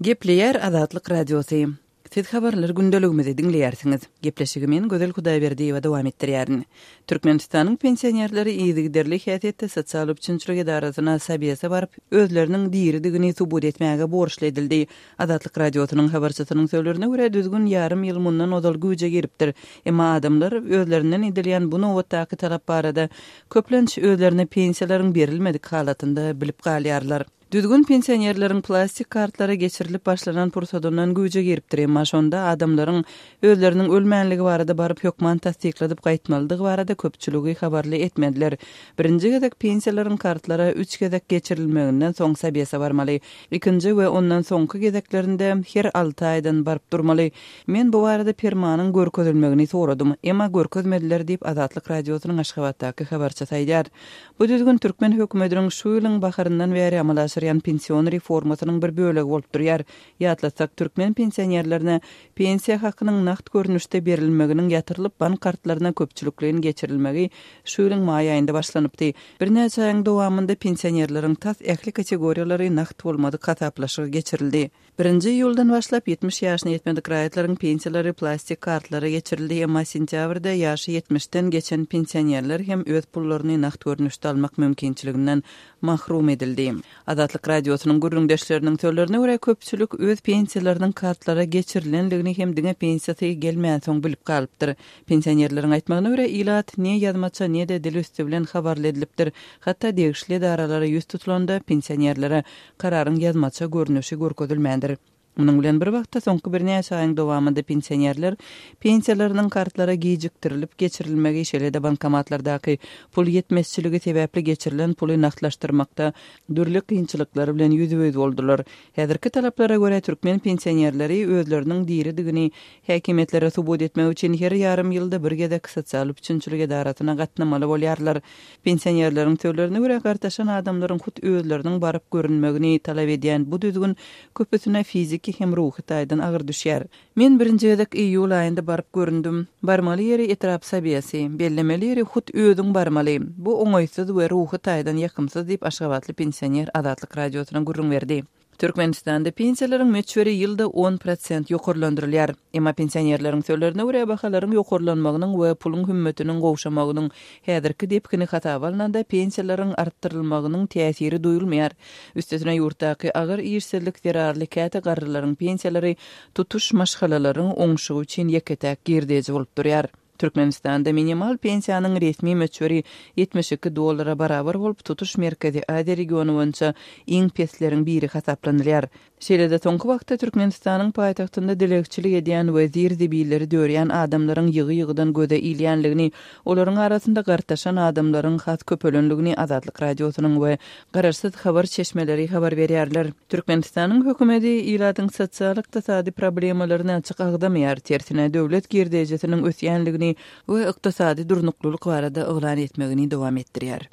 Gepleýär Azatlyk Radiosy. Siz habarlar gündeligimizi diňleýärsiňiz. Gepleşigi men Gözel Hudaýberdiýewa dowam etdirýärin. Türkmenistanyň pensionerleri yzygiderli häsiýetde sosial üpjünçilik edarasyna Sobese baryp, özleriniň diridigini subut etmäge borçly edildi. Azatlyk Radiosynyň habarçysynyň sözlerine görä, düzgün ýarym ýyl mundan ozal güýje giripdir. Emma adamlar özlerinden edilýän bu nobatdaky talap barada köplenç özlerine pensiýalaryň berilmedik halatynda bilip galýarlar. Düzgün pensionerleriň plastik kartlary geçirilip başlanan pursadyndan güýje giripdir, emma şonda adamlaryň özleriniň ölmänligi barada baryp hökman tassykladyp gaýtmalydygy barada köpçüligi habarly etmediler. Birinji gezek pensiýalaryň kartlara üç gezek geçirilmeginden soň sobese barmaly. Ikinji we ondan soňky gezeklerinde her alty aýdan baryp durmaly. Men bu barada permanyň görkezilmegini soradym, emma görkezmediler diýip, Azatlyk Radiosynyň Aşgabatdaky habarçysy aýdýar. Bu düzgün türkmen hökümetiniň şu ýylyň baharyndan bäri amala aşyrýan pension reformasynyň bir bölegi bolup durýar. Ýatlatsak, türkmen pensionerlerine pensiýa hakynyň nagt görnüşde berilmeginiň ýatyrylyp, bank kartlaryna köpçülikleýin geçirilmegi şu ýylyň maý aýynda başlanypdy. Birnäçe aýyň dowamynda pensionerleriň tas ähli kategoriýalary nagt bolmadyk hasaplaşyga geçirildi. Birinji iýuldan başlap, 70 ýaşyna ýetmedik raýatlaryň pensiýalary plastik kartlara geçirildi, emma sentýabrda ýaşy ýetmişden geçen pensionerler hem öz pullaryny nagt görnüşde almak mümkinçiliginden mahrum edildi. Azatlyk Radiosynyň gürrüňdeşleriniň sözlerine görä, köpçülik öz pensiýalarynyň kartlara geçirilendigini hem diňe pensiýasy gelmänsoň bilip galypdyr. Pensionerleriň aýtmagyna görä, ilat ne ýazmaça, ne-de dil üsti bilen habarly edilipdir. Hatda degişli edaralara ýüz tutulanda, pensionerlere Kararyň ýazmaça görnüşi görkezilmändir. Munuň bilen bir wagtda, soňky birnäçe aýyň dowamynda pensionerler pensiýalarynyň kartlara gijikdirilip geçirilmegi, şeýle-de bankomatlardaky pul ýetmezçiligi sebäpli geçirilen puly nagtlaşdyrmakda dürli kynçylyklar bilen ýüzbe-ýüz boldular. Häzirki talaplara görä, türkmen pensionerleri özleriniň diridigini häkimiýetlere subut etmek üçin her ýarym ýylda bir gezek sosial üpjünçilik edarasyna gatnamaly bolýarlar. Pensionerleriň sözlerine görä, gartaşan adamlaryň hut özleriniň baryp görünmegini talap edýän bu düzgün köpüsine fiziki hem ruhy taýdan agyr düşýär. Men birinji gezek iýul aýynda baryp göründim. Barmaly ýeri etrap sobesi, bellemeli ýeri hut özüň barmaly. Bu oňaýsyz we ruhy taýdan ýakymsyz diýip, aşgabatly pensioner Azatlyk Radiosyna gürrüň berdi. Türkmenistanda pensiýalaryň möçberi ýylda 10 prosent ýokarlandyrylýar. Emma pensionerleriň sözlerine görä, bahalaryň ýokarlanmagynyň we puluň hümmetiniň gowşamagynyň häzirki depgini hasaba alnanda, pensiýalaryň artdyrylmagynyň täsiri duýulmaýar. Üstesine, ýurtdaky agyr işsizlik zerarly käte garrylaryň pensiýalary tutuş maşgalalaryň oňşugy üçin ýeke-täk girdeji bolup durýar. Türkmenistanda minimal pensiýanyň resmi möçberi 72 dollara barabar bolup, tutuş Merkezi Aziýa regiony boýunça iň pesleriň biri hasaplanylýar. Şeýle-de soňky wagtda Türkmenistanyň paýtagtynda dilegçilik edýän we zir-zibilleri dörýän adamlaryň ýygy-ýygydan göze ilýänligini, olaryň arasynda gartaşan adamlaryň has köpelenligini Azatlyk Radiosynyň we garaşsyz habar çeşmeleri habar berýärler. Türkmenistanyň hökümeti ilatyň sosial-ykdysady problemalaryny açyk agzamaýar, tersine, döwlet girdejisiniň ösýänligini we ykdysady durnuklylyk barada yglan etmegini dowam etdirýär.